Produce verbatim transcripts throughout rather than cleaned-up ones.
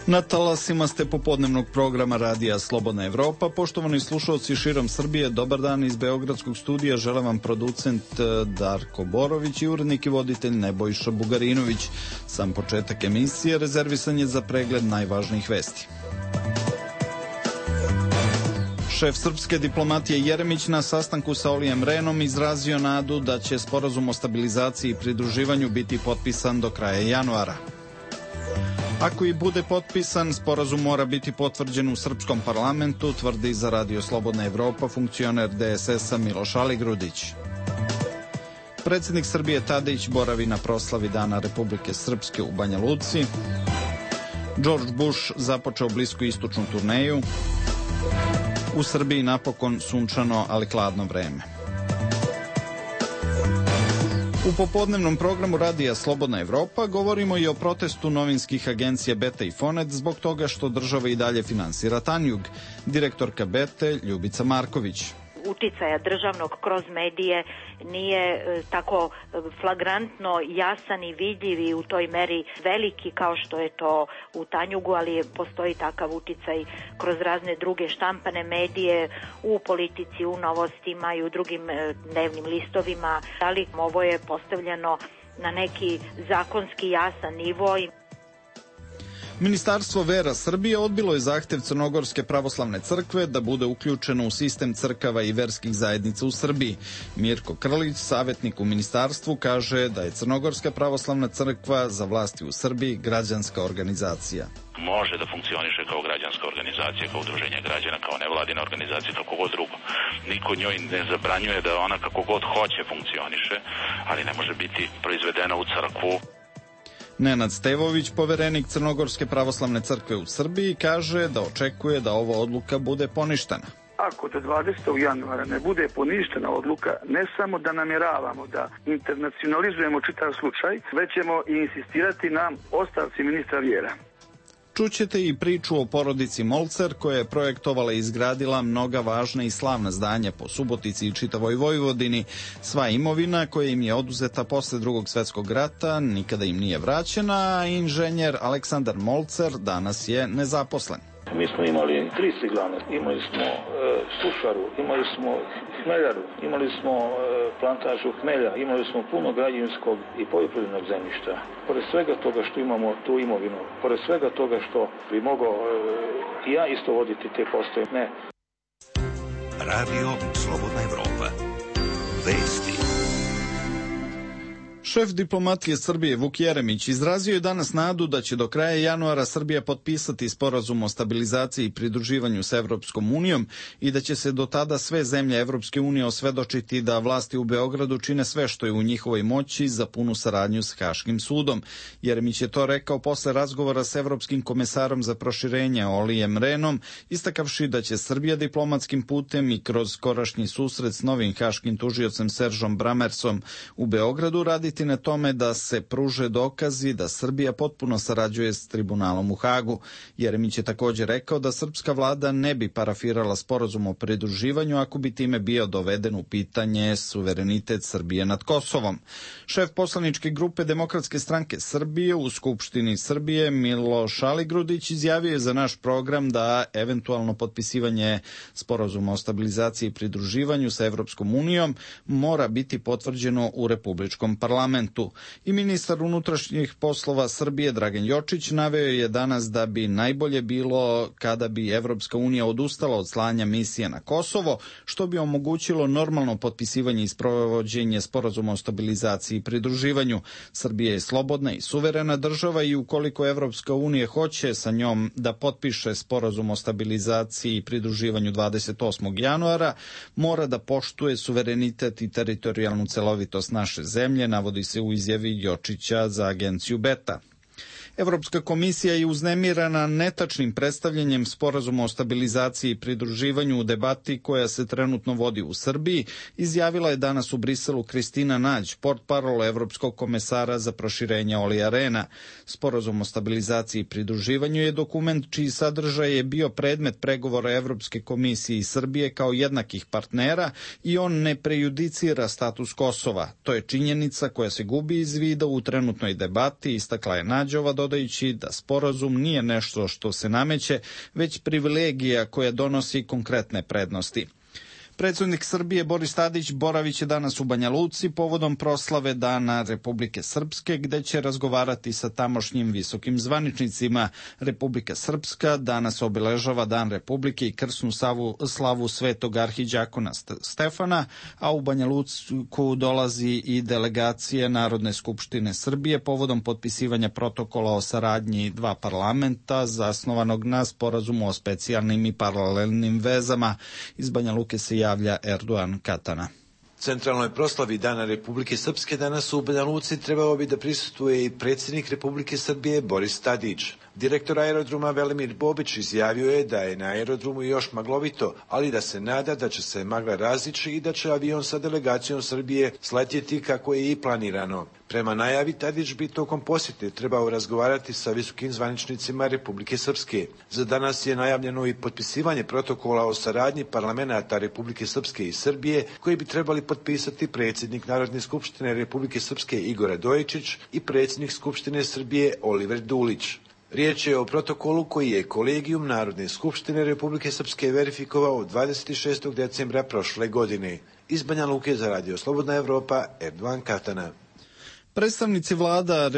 Na talasima ste popodnevnog programa Radija Slobodna Evropa. Poštovani slušalci širom Srbije, dobar dan iz Beogradskog studija. Žele vam producent Darko Borović i urednik i voditelj Nebojša Bugarinović. Sam početak emisije rezervisan je za pregled najvažnijih vesti. Šef srpske diplomatije Jeremić na sastanku sa Olijem Rehnom izrazio nadu da će sporazum o stabilizaciji i pridruživanju biti potpisan do kraja januara. Ako i bude potpisan, sporazum mora biti potvrđen u srpskom parlamentu, tvrdi za Radio Slobodna Evropa funkcioner D S S-a Miloš Aligrudić. Predsjednik Srbije Tadić boravi na proslavi Dana Republike Srpske u Banja Luci. George Bush započeo bliskoistočnu turneju. U Srbiji napokon sunčano, ali hladno vreme. U popodnevnom programu Radija Slobodna Evropa govorimo i o protestu novinskih agencija Beta i Fonet zbog toga što država i dalje finansira Tanjug. Direktorka Bete Ljubica Marković. Uticaja državnog kroz medije nije e, tako flagrantno jasan i vidljiv i u toj meri veliki kao što je to u Tanjugu, ali postoji takav uticaj kroz razne druge štampane medije u politici, u novostima i u drugim e, dnevnim listovima, ali ovo je postavljeno na neki zakonski jasan nivo. Ministarstvo vera Srbije odbilo je zahtev Crnogorske pravoslavne crkve da bude uključeno u sistem crkava i verskih zajednica u Srbiji. Mirko Krlić, savjetnik u ministarstvu, kaže da je Crnogorska pravoslavna crkva za vlasti u Srbiji građanska organizacija. Može da funkcioniše kao građanska organizacija, kao udruženje građana, kao nevladina organizacija, kako god drugo. Niko njoj ne zabranjuje da ona kako god hoće funkcioniše, ali ne može biti proizvedena u crkvu. Nenad Stevović, poverenik Crnogorske pravoslavne crkve u Srbiji, kaže da očekuje da ova odluka bude poništena. Ako do dvadesetog januara ne bude poništena odluka, ne samo da namjeravamo da internacionalizujemo čitav slučaj, već ćemo i insistirati na ostavci ministra vjera. Čućete i priču o porodici Molcer koja je projektovala i izgradila mnoga važna i slavna zdanja po Subotici i čitavoj Vojvodini. Sva imovina koja im je oduzeta posle Drugog svjetskog rata nikada im nije vraćena, a inženjer Aleksandar Molcer danas je nezaposlen. Mi smo imali tri ciglane, imali smo e, sušaru, imali smo hmeljaru, imali smo e, plantažu hmelja, imali smo puno građevinskog i poljoprivrednog zemljišta. Pored svega toga što imamo tu imovinu, pored svega toga što bi mogao e, i ja isto voditi te postoje, ne. Radio Slobodna Evropa. Vesti. Šef diplomatije Srbije Vuk Jeremić izrazio je danas nadu da će do kraja januara Srbija potpisati sporazum o stabilizaciji i pridruživanju s Evropskom unijom i da će se do tada sve zemlje Evropske unije osvedočiti da vlasti u Beogradu čine sve što je u njihovoj moći za punu saradnju s Haškim sudom. Jeremić je to rekao posle razgovora s Evropskim komesarom za proširenje Olijem Rehnom, istakavši da će Srbija diplomatskim putem i kroz skorašnji susret s novim haškim tužiocem Seržom Bramersom u Beogradu raditi na tome da se pruže dokazi da Srbija potpuno sarađuje s tribunalom u Hagu. Jeremić je također rekao da srpska vlada ne bi parafirala sporazum o pridruživanju ako bi time bio doveden u pitanje suverenitet Srbije nad Kosovom. Šef poslaničke grupe Demokratske stranke Srbije u Skupštini Srbije Miloš Aligrudić izjavio je za naš program da eventualno potpisivanje sporazuma o stabilizaciji i pridruživanju sa Evropskom unijom mora biti potvrđeno u Republičkom parlamentu. I ministar unutrašnjih poslova Srbije Dragan Jočić naveo je danas da bi najbolje bilo kada bi Evropska unija odustala od slanja misije na Kosovo, što bi omogućilo normalno potpisivanje i sprovođenje sporazuma o stabilizaciji i pridruživanju. Srbija je slobodna i suverena država i ukoliko Evropska unija hoće sa njom da potpiše sporazum o stabilizaciji i pridruživanju dvadeset osmog januara, mora da poštuje suverenitet i teritorijalnu celovitost naše zemlje, navodi se u izjavi Jočića za agenciju Beta. Evropska komisija je uznemirana netačnim predstavljanjem sporazuma o stabilizaciji i pridruživanju u debati koja se trenutno vodi u Srbiji, izjavila je danas u Briselu Kristina Nađ, portparol Evropskog komesara za proširenje Olija Rehna. Sporazum o stabilizaciji i pridruživanju je dokument čiji sadržaj je bio predmet pregovora Evropske komisije i Srbije kao jednakih partnera i on ne prejudicira status Kosova. To je činjenica koja se gubi iz vida u trenutnoj debati, istakla je Nađova, dodajući da sporazum nije nešto što se nameće, već privilegija koja donosi konkretne prednosti. Predsjednik Srbije Boris Tadić boraviće danas u Banja Luci povodom proslave Dana Republike Srpske, gde će razgovarati sa tamošnjim visokim zvaničnicima. Republika Srpska danas obeležava Dan Republike i krsnu slavu, slavu svetog arhiđakona Stefana, a u Banja Luku dolazi i delegacija Narodne skupštine Srbije povodom potpisivanja protokola o saradnji dva parlamenta zasnovanog na sporazumu o specijalnim i paralelnim vezama. Iz Banja Luke se javlja Erdogan Katana. Centralnoj proslavi Dana Republike Srpske danas u Banja Luci trebao bi da prisustvuje i predsjednik Republike Srbije Boris Tadić. Direktor aerodroma Velimir Bobić izjavio je da je na aerodromu još maglovito, ali da se nada da će se magla razići i da će avion sa delegacijom Srbije sletjeti kako je i planirano. Prema najavi, Tadić bi tokom posjete trebao razgovarati sa visokim zvaničnicima Republike Srpske. Za danas je najavljeno i potpisivanje protokola o saradnji parlamenata Republike Srpske i Srbije, koji bi trebali potpisati predsjednik Narodne skupštine Republike Srpske Igor Radojičić i predsjednik Skupštine Srbije Oliver Dulić. Riječ je o protokolu koji je Kolegijum Narodne skupštine Republike Srpske verifikovao dvadeset šestog decembra prošle godine. Iz Banja Luke za Radio Slobodna Evropa, Erdogan Katana. Predstavnici vlada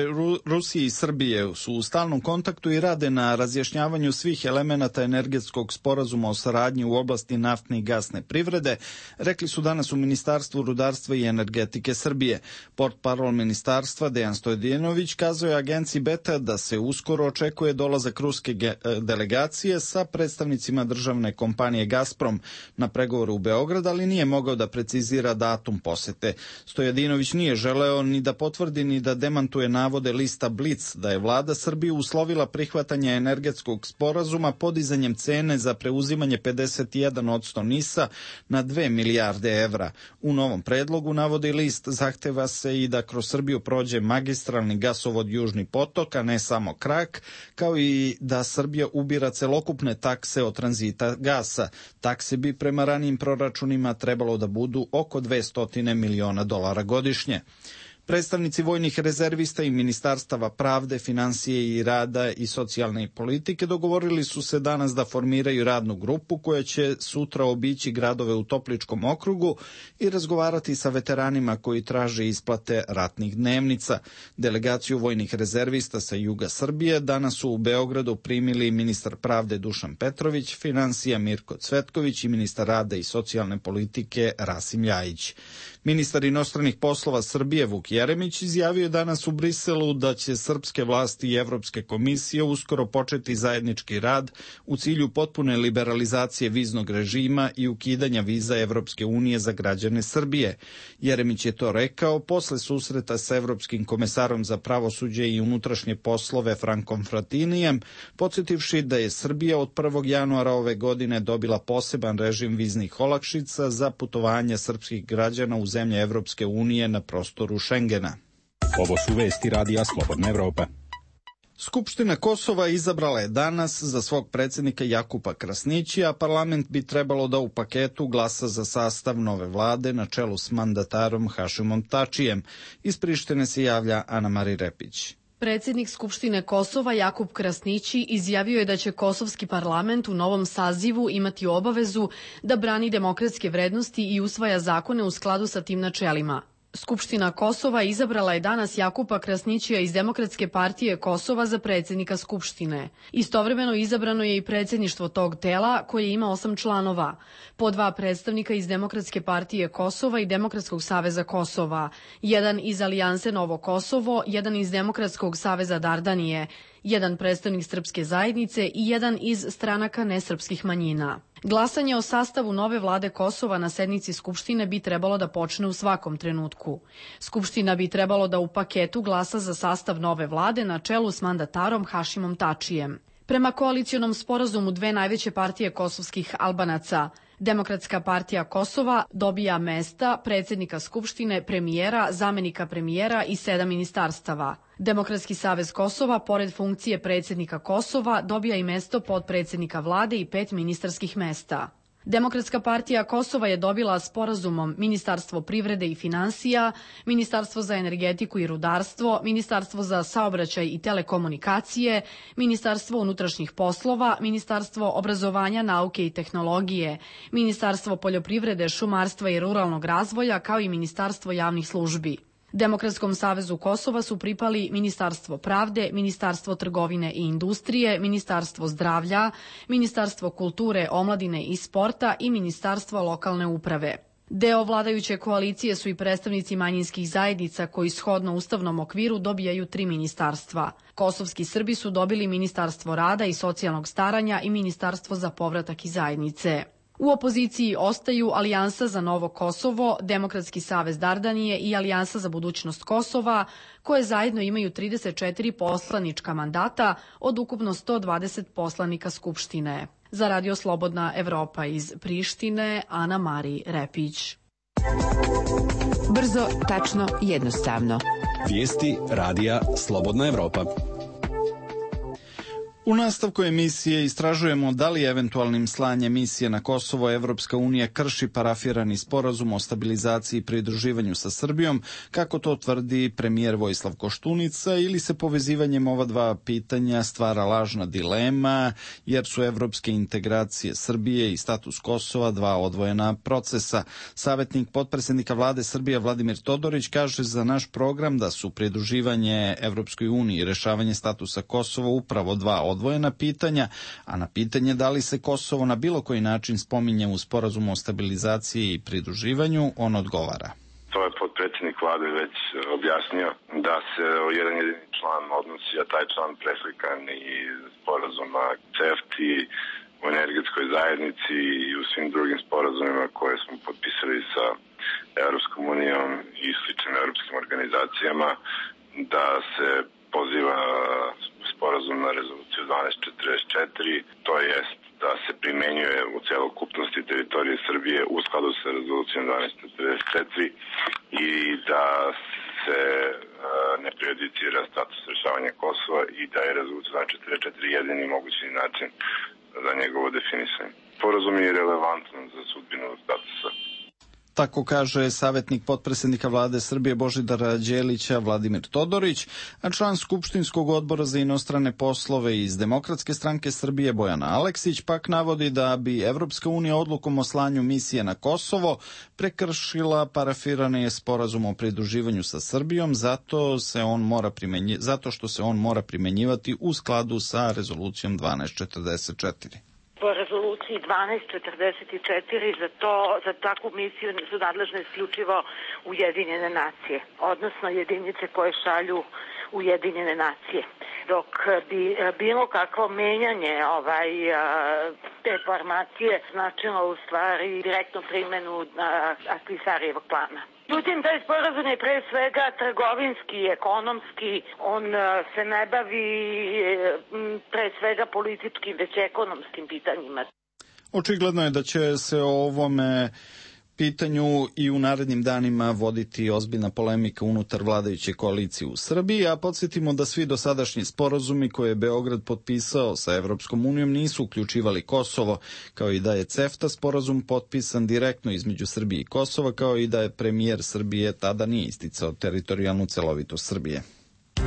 Rusije i Srbije su u stalnom kontaktu i rade na razjašnjavanju svih elemenata energetskog sporazuma o saradnji u oblasti naftne i gasne privrede, rekli su danas u Ministarstvu rudarstva i energetike Srbije. Portparol ministarstva Dejan Stojedinović kazao je agenciji Beta da se uskoro očekuje dolazak ruske delegacije sa predstavnicima državne kompanije Gazprom na pregovoru u Beograd, ali nije mogao da precizira datum posete. Stojedinović nije želeo ni da potvrdi ni da demantuje navode lista Blic da je vlada Srbije uslovila prihvatanje energetskog sporazuma podizanjem cene za preuzimanje pedeset jedan posto NIS-a na dve milijarde evra. U novom predlogu, navodi list, zahteva se i da kroz Srbiju prođe magistralni gasovod Južni potok, a ne samo krak, kao i da Srbija ubira celokupne takse od tranzita gasa. Takse bi prema ranijim proračunima trebalo da budu oko dvesta miliona dolara godišnje. Predstavnici vojnih rezervista i ministarstava pravde, finansije i rada i socijalne politike dogovorili su se danas da formiraju radnu grupu koja će sutra obići gradove u Topličkom okrugu i razgovarati sa veteranima koji traže isplate ratnih dnevnica. Delegaciju vojnih rezervista sa juga Srbije danas su u Beogradu primili ministar pravde Dušan Petrović, finansija Mirko Cvetković i ministar rada i socijalne politike Rasim Ljajić. Ministar inostranih poslova Srbije Vuk Jeremić izjavio je danas u Briselu da će srpske vlasti i Evropske komisije uskoro početi zajednički rad u cilju potpune liberalizacije viznog režima i ukidanja viza Evropske unije za građane Srbije. Jeremić je to rekao posle susreta sa Evropskim komesarom za pravosuđe i unutrašnje poslove Frankom Fratinijem, podsjetivši da je Srbija od prvog januara ove godine dobila poseban režim viznih olakšica za putovanje srpskih građana u zemlje Evropske unije na prostoru Šengena. Ovo su vesti Radija Slobodna Evropa. Skupština Kosova izabrala je danas za svog predsjednika Jakupa Krasnića, a parlament bi trebalo da u paketu glasa za sastav nove vlade na čelu s mandatarom Hašimom Tačijem. Iz Prištine se javlja Ana Mari Repić. Predsjednik Skupštine Kosova Jakub Krasnići izjavio je da će kosovski parlament u novom sazivu imati obavezu da brani demokratske vrednosti i usvaja zakone u skladu sa tim načelima. Skupština Kosova izabrala je danas Jakupa Krasnićija iz Demokratske partije Kosova za predsjednika Skupštine. Istovremeno izabrano je i predsjedništvo tog tela koje ima osam članova, po dva predstavnika iz Demokratske partije Kosova i Demokratskog saveza Kosova, jedan iz Alijanse Novo Kosovo, jedan iz Demokratskog saveza Dardanije, jedan predstavnik srpske zajednice i jedan iz stranaka nesrpskih manjina. Glasanje o sastavu nove vlade Kosova na sednici Skupštine bi trebalo da počne u svakom trenutku. Skupština bi trebalo da u paketu glasa za sastav nove vlade na čelu s mandatarom Hašimom Tačijem. Prema koalicionom sporazumu dve najveće partije kosovskih Albanaca, Demokratska partija Kosova dobija mesta predsjednika Skupštine, premijera, zamenika premijera i sedam ministarstava. Demokratski savez Kosova, pored funkcije predsjednika Kosova, dobija i mesto potpredsjednika vlade i pet ministarskih mesta. Demokratska partija Kosova je dobila sporazumom Ministarstvo privrede i finansija, Ministarstvo za energetiku i rudarstvo, Ministarstvo za saobraćaj i telekomunikacije, Ministarstvo unutrašnjih poslova, Ministarstvo obrazovanja, nauke i tehnologije, Ministarstvo poljoprivrede, šumarstva i ruralnog razvoja, kao i Ministarstvo javnih službi. Demokratskom savezu Kosova su pripali Ministarstvo pravde, Ministarstvo trgovine i industrije, Ministarstvo zdravlja, Ministarstvo kulture, omladine i sporta i Ministarstvo lokalne uprave. Deo vladajuće koalicije su i predstavnici manjinskih zajednica koji shodno ustavnom okviru dobijaju tri ministarstva. Kosovski Srbi su dobili Ministarstvo rada i socijalnog staranja i Ministarstvo za povratak i zajednice. U opoziciji ostaju Alijansa za Novo Kosovo, Demokratski savez Dardanije i Alijansa za budućnost Kosova, koje zajedno imaju trideset četiri poslanička mandata od ukupno sto dvadeset poslanika Skupštine. Za Radio Slobodna Evropa iz Prištine, Ana Mari Repić. Brzo, tačno, jednostavno. Vijesti Radija Slobodna Evropa. U nastavku emisije istražujemo da li eventualnim slanjem misije na Kosovo Evropska unija krši parafirani sporazum o stabilizaciji i pridruživanju sa Srbijom, kako to tvrdi premijer Vojislav Koštunica, ili se povezivanjem ova dva pitanja stvara lažna dilema, jer su evropske integracije Srbije i status Kosova dva odvojena procesa. Savjetnik potpredsjednika vlade Srbije Vladimir Todorić kaže za naš program da su pridruživanje Evropskoj uniji i rešavanje statusa Kosova upravo dva odvojena pitanja, a na pitanje da li se Kosovo na bilo koji način spominje u sporazumu o stabilizaciji i pridruživanju, on odgovara. To je potpredsjednik vlade već objasnio da se o jedan jedini član odnosi, a taj član preslikan i sporazuma C E F T I u energetskoj zajednici i u svim drugim sporazumima koje smo potpisali sa Evropskom unijom i sličnim evropskim organizacijama, da se poziva sporazum na rezoluciju dvanaest četrdeset četiri, to jest da se primenjuje u celokupnosti teritorije Srbije u skladu sa rezolucijom dvanaest četrdeset četiri i da se uh, ne prejudicira status rešavanja Kosova i da je rezolucija dvanaest četrdeset četiri jedini mogući način za njegovo definisanje. Sporazum je relevantan za sudbinu statusa. Tako kaže savjetnik potpredsjednika vlade Srbije Božidara Đelića Vladimir Todorić, a član Skupštinskog odbora za inostrane poslove iz Demokratske stranke Srbije Bojana Aleksić pak navodi da bi Evropska unija odlukom o slanju misije na Kosovo prekršila parafirani sporazum o pridruživanju sa Srbijom, zato, se on mora primenji, zato što se on mora primenjivati u skladu sa rezolucijom dvanaest četrdeset četiri. Po rezoluciji dvanaest četrdeset četiri za to, za takvu misiju su nadležne isključivo Ujedinjene nacije, odnosno jedinice koje šalju Ujedinjene nacije. Dok bi bilo kakvo menjanje ovaj, te formacije značilo u stvari direktnu primjenu Ahtisarijevog plana. Međutim, taj sporazum je pre svega trgovinski i ekonomski, on se ne bavi pre svega političkim, već ekonomskim pitanjima. Očigledno je da će se o ovome pitanju i u narednim danima voditi ozbiljna polemika unutar vladajuće koalicije u Srbiji, a podsjetimo da svi dosadašnji sporazumi koje je Beograd potpisao sa Evropskom unijom nisu uključivali Kosovo, kao i da je CEFTA sporazum potpisan direktno između Srbije i Kosova, kao i da je premijer Srbije tada nije isticao teritorijalnu celovitost Srbije.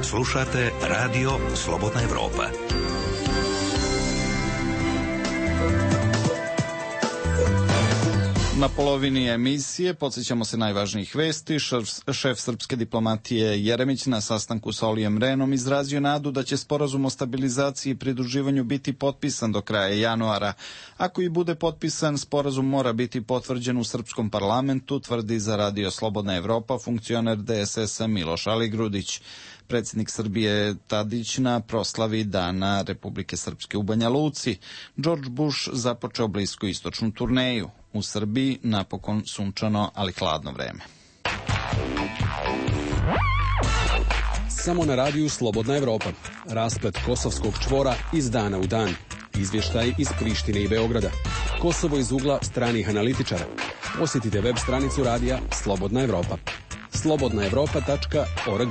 Slušate Radio Slobodna Evropa. Na polovini emisije podsjećamo se najvažnijih vesti. Šef, šef srpske diplomatije Jeremić na sastanku sa Olijem Rehnom izrazio nadu da će sporazum o stabilizaciji i pridruživanju biti potpisan do kraja januara. Ako i bude potpisan, sporazum mora biti potvrđen u srpskom parlamentu, tvrdi za Radio Slobodna Evropa funkcioner D S S-a Miloš Aligrudić. Predsjednik Srbije Tadić na proslavi Dana Republike Srpske u Banja Luci. George Bush započeo bliskoistočnu turneju. U Srbiji napokon sunčano, ali hladno vreme. Samo na radiju Slobodna Evropa. Rasplet kosovskog čvora iz dana u dan. Izvještaj iz Prištine i Beograda. Kosovo iz ugla stranih analitičara. Posjetite web stranicu radija Slobodna Evropa. slobodna evropa tačka org.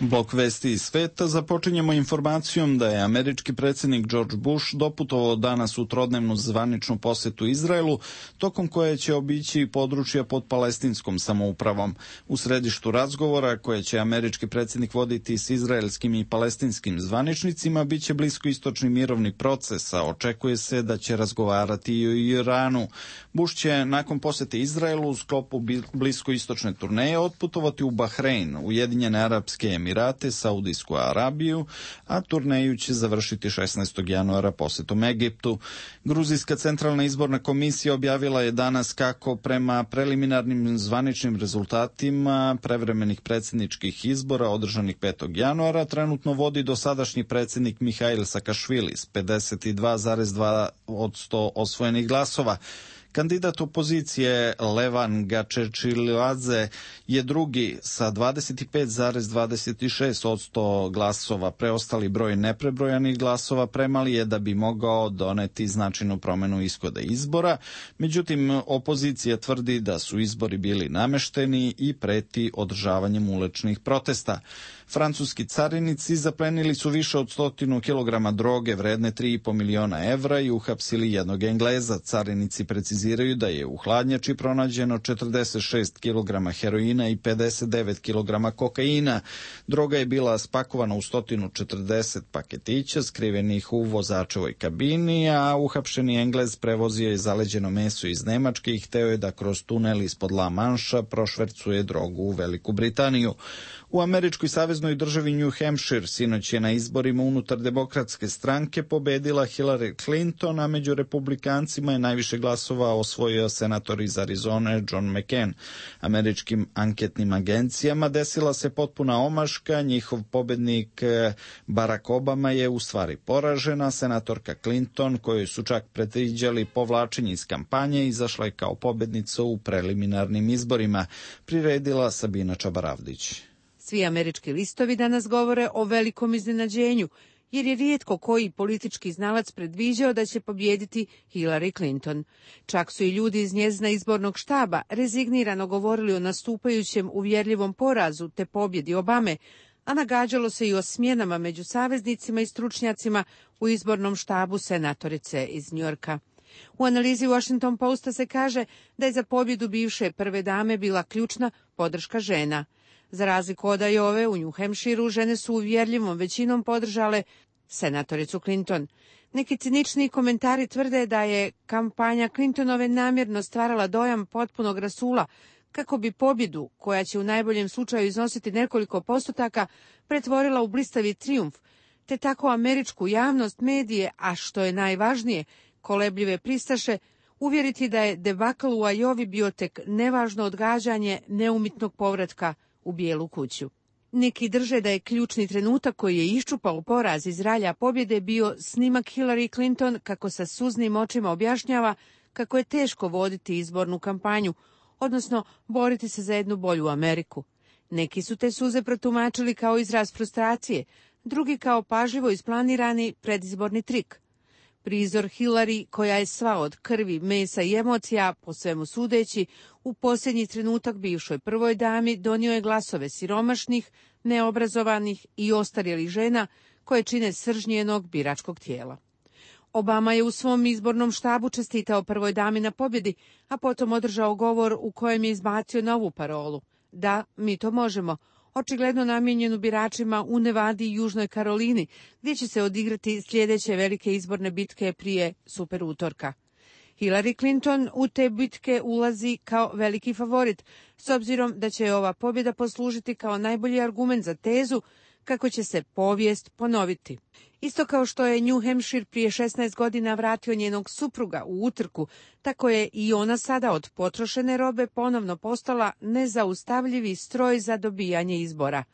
Blok vesti iz sveta započinjemo informacijom da je američki predsjednik George Bush doputovao danas u trodnevnu zvaničnu posetu Izraelu, tokom koje će obići područja pod palestinskom samoupravom. U središtu razgovora koje će američki predsjednik voditi s izraelskim i palestinskim zvaničnicima biće bliskoistočni mirovni proces, a očekuje se da će razgovarati i o Iranu. Bush će nakon posete Izraelu u sklopu bliskoistočne turneje otputovati u Bahrein, Ujedinjene Arapske Emirate, Saudijsku Arabiju, a turneju će završiti šesnaestog januara posetom Egiptu. Gruzijska centralna izborna komisija objavila je danas kako prema preliminarnim zvaničnim rezultatima prevremenih predsjedničkih izbora održanih petog januara trenutno vodi dosadašnji predsjednik Mihail Sakašvili s pedeset dva zarez dva posto osvojenih glasova. Kandidat opozicije Levan Gačečiladze je drugi sa dvadeset pet zarez dvadeset šest posto glasova. Preostali broj neprebrojanih glasova premali je da bi mogao doneti značajnu promjenu ishoda izbora. Međutim, opozicija tvrdi da su izbori bili namešteni i preti održavanjem uličnih protesta. Francuski carinici zaplenili su više od stotinu kilograma droge vredne tri i po miliona evra i uhapsili jednog Engleza. Carinici preciziraju da je u hladnjači pronađeno četrdeset šest kilograma heroina i pedeset devet kilograma kokaina. Droga je bila spakovana u sto četrdeset paketića skrivenih u vozačevoj kabini, a uhapšeni Englez prevozio je zaleđeno meso iz Nemačke i hteo je da kroz tunel ispod La Manša prošvercuje drogu u Veliku Britaniju. U američkoj saveznoj državi New Hampshire sinoć je na izborima unutar demokratske stranke pobedila Hillary Clinton, a među republikancima je najviše glasova osvojio senator iz Arizone John McCain. Američkim anketnim agencijama desila se potpuna omaška, njihov pobednik Barack Obama je u stvari poražena, senatorka Clinton, kojoj su čak predviđali povlačenje iz kampanje, izašla je kao pobednica u preliminarnim izborima, priredila Sabina Čabaravdić. Svi američki listovi danas govore o velikom iznenađenju, jer je rijetko koji politički znalac predviđao da će pobijediti Hillary Clinton. Čak su i ljudi iz njezina izbornog štaba rezignirano govorili o nastupajućem uvjerljivom porazu te pobjedi Obame, a nagađalo se i o smjenama među saveznicima i stručnjacima u izbornom štabu senatorice iz Njujorka. U analizi Washington Posta se kaže da je za pobjedu bivše prve dame bila ključna podrška žena. Za razliku od Iowe, u New Hampshireu žene su uvjerljivom većinom podržale senatoricu Clinton. Neki cinični komentari tvrde da je kampanja Clintonove namjerno stvarala dojam potpunog rasula, kako bi pobjedu, koja će u najboljem slučaju iznositi nekoliko postotaka, pretvorila u blistavi trijumf, te tako američku javnost, medije, a što je najvažnije, kolebljive pristaše, uvjeriti da je debakl u Iowi bio tek nevažno odgađanje neumitnog povratka u Bijelu kuću. Neki drže da je ključni trenutak koji je iščupao poraz iz ralja pobjede bio snimak Hillary Clinton kako sa suznim očima objašnjava kako je teško voditi izbornu kampanju, odnosno boriti se za jednu bolju Ameriku. Neki su te suze protumačili kao izraz frustracije, drugi kao pažljivo isplanirani predizborni trik. Prizor Hillary, koja je sva od krvi, mesa i emocija, po svemu sudeći, u posljednji trenutak bivšoj prvoj dami donio je glasove siromašnih, neobrazovanih i ostarjelih žena koje čine srž njenog biračkog tijela. Obama je u svom izbornom štabu čestitao prvoj dami na pobjedi, a potom održao govor u kojem je izbacio novu parolu. Da, mi to možemo. Očigledno namijenjenu biračima u Nevadi i Južnoj Karolini, gdje će se odigrati sljedeće velike izborne bitke prije super utorka. Hillary Clinton u te bitke ulazi kao veliki favorit, s obzirom da će ova pobjeda poslužiti kao najbolji argument za tezu kako će se povijest ponoviti. Isto kao što je New Hampshire prije šesnaest godina vratio njenog supruga u utrku, tako je i ona sada od potrošene robe ponovno postala nezaustavljivi stroj za dobijanje izbora.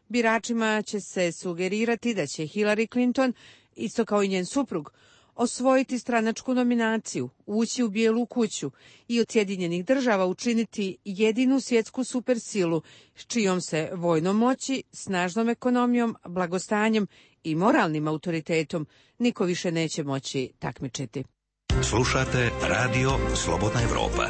Biračima će se sugerirati da će Hillary Clinton, isto kao i njen suprug, osvojiti stranačku nominaciju, ući u Bijelu kuću i od Sjedinjenih država učiniti jedinu svjetsku supersilu s čijom se vojnom moći, snažnom ekonomijom, blagostanjem i moralnim autoritetom niko više neće moći takmičiti. Slušate Radio Slobodna Evropa.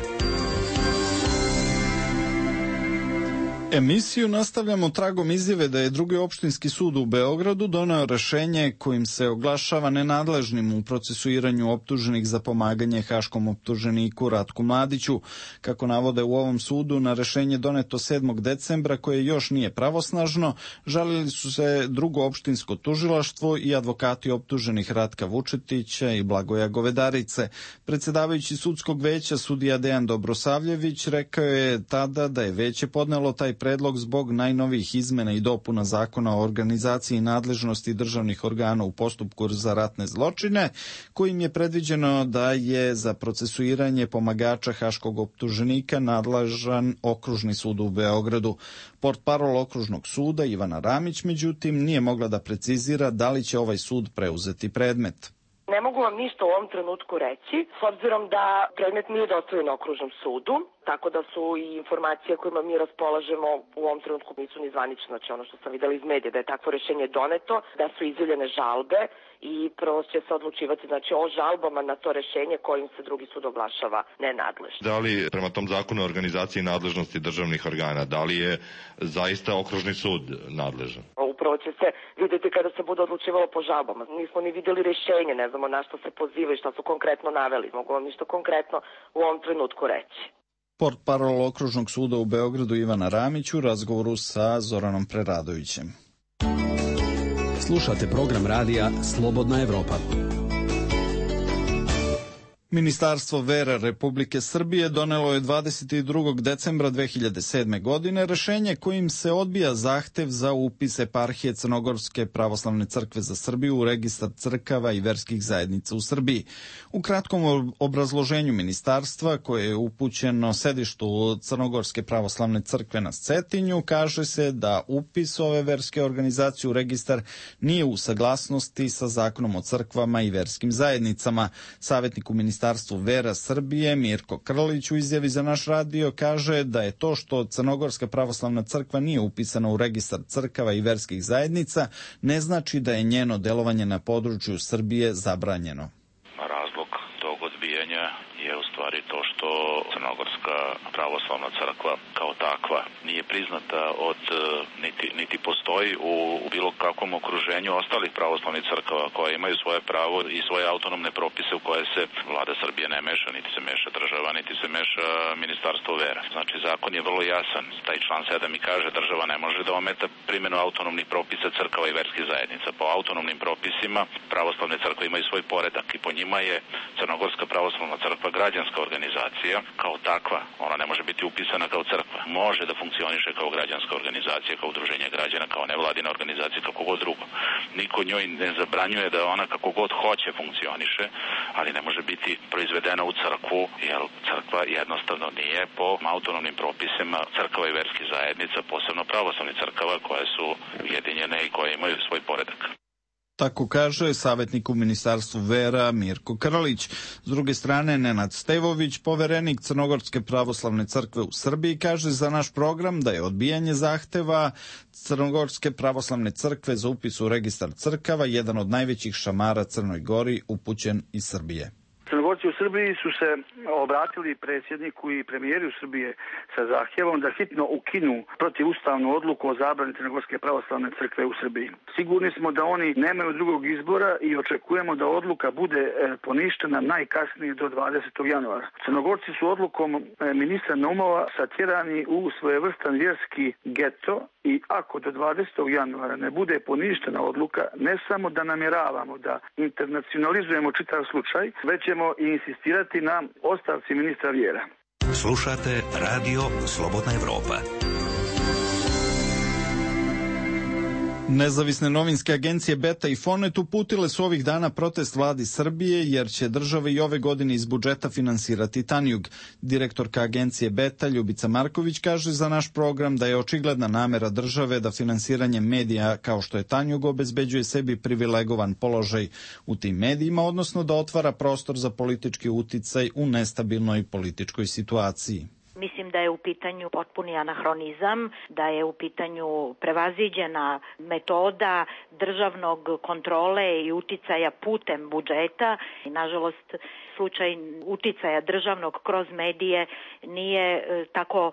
Emisiju nastavljamo tragom izjave da je drugi opštinski sud u Beogradu doneo rešenje kojim se oglašava nenadležnim u procesuiranju optuženih za pomaganje haškom optuženiku Ratku Mladiću. Kako navode u ovom sudu, na rešenje doneto sedmog decembra, koje još nije pravosnažno, žalili su se drugo opštinsko tužilaštvo i advokati optuženih Ratka Vučetića i Blagoja Govedarice. Predsedavajući sudskog veća sudija Dejan Dobrosavljević rekao je tada da je veće podnelo taj predlog zbog najnovijih izmena i dopuna Zakona o organizaciji i nadležnosti državnih organa u postupku za ratne zločine, kojim je predviđeno da je za procesuiranje pomagača haškog optuženika nadležan Okružni sud u Beogradu. Portparol Okružnog suda Ivana Ramić, međutim, nije mogla da precizira da li će ovaj sud preuzeti predmet. Ne mogu vam ništa u ovom trenutku reći, s obzirom da predmet nije dostavljen Okružnom sudu, tako da su i informacije kojima mi raspolažemo u ovom trenutku nisu ni zvanične, znači ono što sam videla iz medija, da je takvo rešenje doneto, da su izjavljene žalbe i prvo će se odlučivati znači, o žalbama na to rešenje kojim se drugi sud oglašava nenadležno. Da li prema tom zakonu o organizaciji i nadležnosti državnih organa, da li je zaista Okružni sud nadležan? Upravo će se vidjeti kada se bude odlučivalo po žalbama. Nismo ni vidjeli rešenje, ne znamo na što se pozivaju, šta su konkretno naveli. Mogu vam ništa konkretno u ovom trenutku reći. Portparol Okružnog suda u Beogradu Ivana Ramić u razgovoru sa Zoranom Preradovićem. Slušate program radija Slobodna Evropa. Ministarstvo vera Republike Srbije donelo je dvadeset drugog decembra dve hiljade sedme. godine rešenje kojim se odbija zahtev za upis eparhije Crnogorske pravoslavne crkve za Srbiju u registar crkava i verskih zajednica u Srbiji. U kratkom obrazloženju ministarstva, koje je upućeno sedištu Crnogorske pravoslavne crkve na Cetinju, kaže se da upis ove verske organizacije u registar nije u saglasnosti sa Zakonom o crkvama i verskim zajednicama. Savjetnik u ministarstvu Ministarstvu vera Srbije Mirko Krlić u izjavi za naš radio kaže da je to što Crnogorska pravoslavna crkva nije upisana u registar crkava i verskih zajednica ne znači da je njeno delovanje na području Srbije zabranjeno. Razlog tog odbijanja je u stvari to što Crnogorska pravoslavna crkva kao takva nije priznata od niti, niti postoji u, u bilo kakvom okruženju ostalih pravoslavnih crkava koje imaju svoje pravo i svoje autonomne propise u koje se vlada Srbije ne meša, niti se meša država, niti se meša ministarstvo vera. Znači zakon je vrlo jasan. Taj član sedam i kaže država ne može da ometa primjenu autonomnih propisa crkava i verskih zajednica. Po autonomnim propisima pravoslavne crkve imaju svoj poredak i po njima je Crnogorska pravoslavna crkva građanska organizacija kao takva. Ona ne može biti upisana kao crkva. Može da funkcioniše kao građanska organizacija, kao udruženje građana, kao nevladina organizacija, kako god drugo. Niko njoj ne zabranjuje da ona kako god hoće funkcioniše, ali ne može biti proizvedena u crkvu, jer crkva jednostavno nije po autonomnim propisima crkava i verskih zajednica, posebno pravoslavnih crkava koje su ujedinjene i koje imaju svoj poredak. Tako kaže savjetnik u Ministarstvu vera Mirko Krlić. S druge strane, Nenad Stevović, poverenik Crnogorske pravoslavne crkve u Srbiji, kaže za naš program da je odbijanje zahteva Crnogorske pravoslavne crkve za upis u registar crkava jedan od najvećih šamara Crnoj Gori upućen iz Srbije. Crnogorci u Srbiji su se obratili predsjedniku i premijeru Srbije sa zahtjevom da hitno ukinu protivustavnu odluku o zabrani Crnogorske pravoslavne crkve u Srbiji. Sigurni smo da oni nemaju drugog izbora i očekujemo da odluka bude poništena najkasnije do dvadesetog januara. Crnogorci su odlukom ministra Naumova satjerani u svojevrstan vjerski geto i ako do dvadesetog januara ne bude poništena odluka, ne samo da namjeravamo da internacionalizujemo čitav slučaj, već ćemo i insistirati na ostavci ministra vjera. Slušate radio Slobodna Evropa. Nezavisne novinske agencije Beta i Fonet uputile su ovih dana protest vladi Srbije jer će država i ove godine iz budžeta finansirati Tanjug. Direktorka agencije Beta Ljubica Marković kaže za naš program da je očigledna namera države da finansiranje medija kao što je Tanjug obezbeđuje sebi privilegovan položaj u tim medijima, odnosno da otvara prostor za politički uticaj u nestabilnoj političkoj situaciji. Mislim da je u pitanju potpuni anahronizam, da je u pitanju prevaziđena metoda državnog kontrole i uticaja putem budžeta. I, nažalost, slučaj uticaja državnog kroz medije nije tako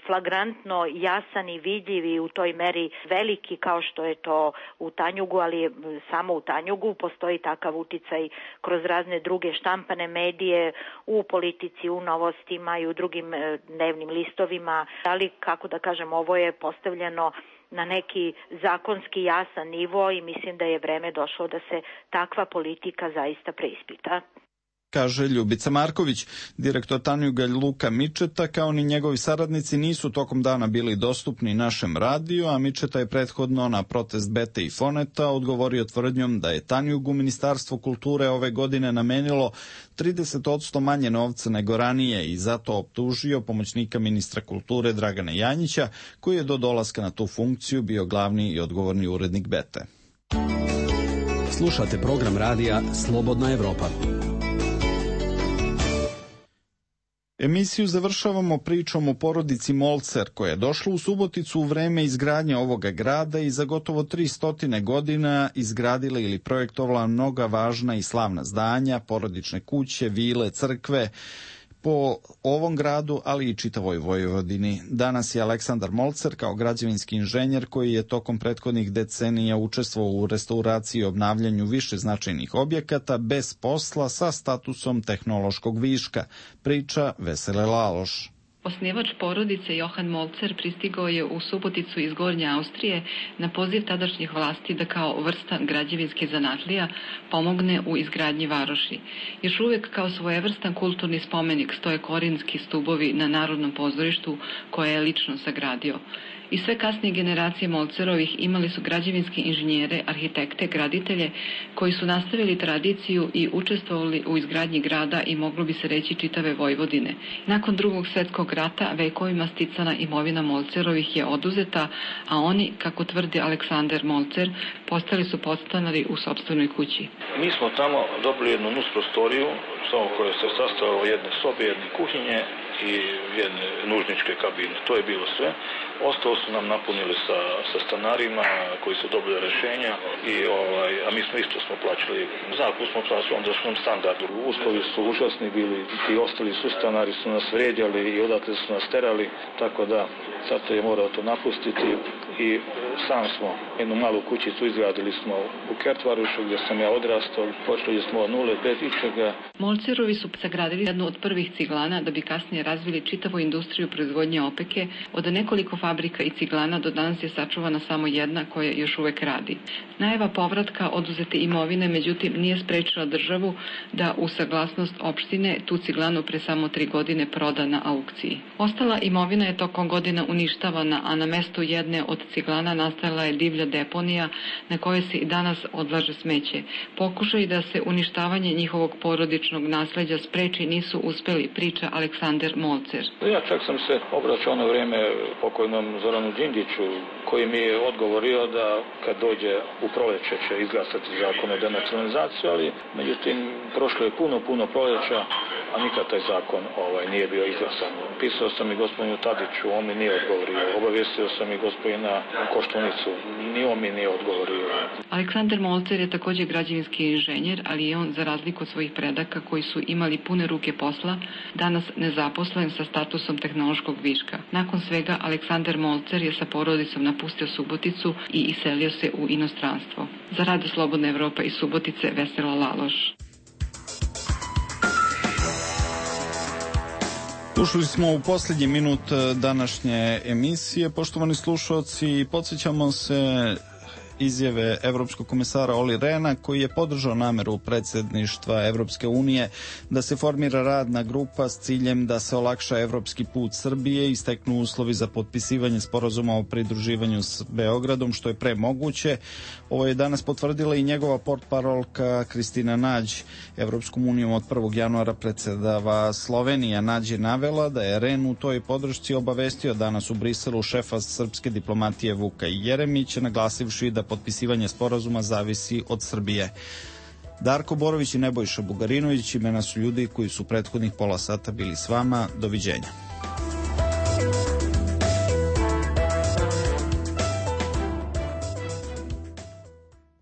flagrantno jasan i vidljiv i u toj meri veliki kao što je to u Tanjugu, ali samo u Tanjugu postoji takav uticaj kroz razne druge štampane medije, u politici, u novostima i u drugim dnevnim listovima. Ali, kako da kažem, ovo je postavljeno na neki zakonski jasan nivo i mislim da je vreme došlo da se takva politika zaista preispita. Kaže Ljubica Marković. Direktor Tanjuga Luka Mičeta kao ni njegovi saradnici nisu tokom dana bili dostupni našem radiju, a Mičeta je prethodno na protest Bete i Foneta odgovorio tvrdnjom da je Tanjugu Ministarstvo kulture ove godine namenilo trideset posto manje novca nego ranije i zato optužio pomoćnika ministra kulture Dragana Janjića, koji je do dolaska na tu funkciju bio glavni i odgovorni urednik Bete. Slušate program radija Slobodna Evropa. Emisiju završavamo pričom o porodici Molcer, koja je došla u Suboticu u vreme izgradnje ovoga grada i za gotovo tristotine godina izgradila ili projektovala mnoga važna i slavna zdanja, porodične kuće, vile, crkve, po ovom gradu, ali i čitavoj Vojvodini. Danas je Aleksandar Molcer kao građevinski inženjer koji je tokom prethodnih decenija učestvovao u restauraciji i obnavljanju više značajnih objekata bez posla sa statusom tehnološkog viška, priča Vesele Laloš. Osnivač porodice Johan Molcer pristigao je u Suboticu iz Gornje Austrije na poziv tadašnjih vlasti da kao vrstan građevinski zanatlija pomogne u izgradnji varoši. Još uvijek kao svojevrstan kulturni spomenik stoje korinski stubovi na Narodnom pozorištu koje je lično sagradio. I sve kasnije generacije Molcerovih imali su građevinske inženjere, arhitekte, graditelje koji su nastavili tradiciju i učestvovali u izgradnji grada i moglo bi se reći čitave Vojvodine. Nakon drugog svjetskog rata vekovima sticana imovina Molcerovih je oduzeta, a oni, kako tvrdi Aleksandar Molcer, postali su podstanari u sopstvenoj kući. Mi smo tamo dobili jednu nus prostoriju, koja se sastojala od jedne sobe, jedne kuhinje i jedne nužničke kabine. To je bilo sve. Ostalo su nam napunili sa, sa stanarima koji su dobili rješenja i ovaj, a mi smo isto smo plaćali zakup, smo plaćali ondašnjem standardu. Uslovi su užasni bili, ti ostali sustanari su nas vrijeđali i odatle su nas terali, tako da zato je morao to napustiti i sam smo jednu malu kućicu izgradili smo u Kertvarušu gdje sam ja odrastao, počeli smo od nule bez ičega. Molcerovi su sagradili jednu od prvih ciglana da bi kasnije razvili čitavu industriju proizvodnje opeke. Od nekoliko fabrika i ciglana do danas je sačuvana samo jedna koja još uvek radi. Najava povratka oduzete imovine, međutim, nije sprečila državu da u saglasnost opštine tu ciglanu pre samo tri godine proda na aukciji. Ostala imovina je tokom godina uništavana, a na mestu jedne od ciglana nastala je divlja deponija na kojoj se i danas odlaže smeće. Pokušaj da se uništavanje njihovog porodičnog nasleđa spreči nisu uspeli, priča Aleksandar Molcer. Ja čak sam se obraćao na vrijeme pokojnom Zoranu Đinđiću, koji mi je odgovorio da kad dođe u proleće će izglasati zakon o denacionalizaciju, ali međutim prošlo je puno, puno proleća, a nikad taj zakon ovaj, nije bio izglasan. Pisao sam i gospodinu Tadiću, on mi nije odgovorio. Obavijestio sam i gospodina Koštunicu, ni on mi nije odgovorio. Aleksandar Molcer je također građevinski inženjer, ali je on, za razliku od svojih predaka koji su imali pune ruke posla, danas nezaposlen sa statusom tehnološkog viška. Nakon svega, Aleksandar Molcer je sa porodicom napustio Suboticu i iselio se u inostranstvo. Za Radio Slobodna Evropa iz Subotice, Vesela Laloš. Ušli smo u posljednji minut današnje emisije. Poštovani slušalci, podsjećamo se izjave Evropskog komesara Olli Rehna, koji je podržao nameru predsjedništva Evropske unije da se formira radna grupa s ciljem da se olakša evropski put Srbije i steknu uslovi za potpisivanje sporazuma o pridruživanju s Beogradom, što je pre moguće. Ovo je danas potvrdila i njegova portparolka Kristina Nađ. Evropskom unijom od prvog januara predsjedava Slovenija. Nađ je navela da je Rehn u toj podršci obavestio danas u Briselu šefa srpske diplomatije Vuka Jeremića, naglasivši da potpisivanje sporazuma zavisi od Srbije. Darko Borović i Nebojša Bugarinović imena su ljudi koji su prethodnih pola sata bili s vama. Doviđenja.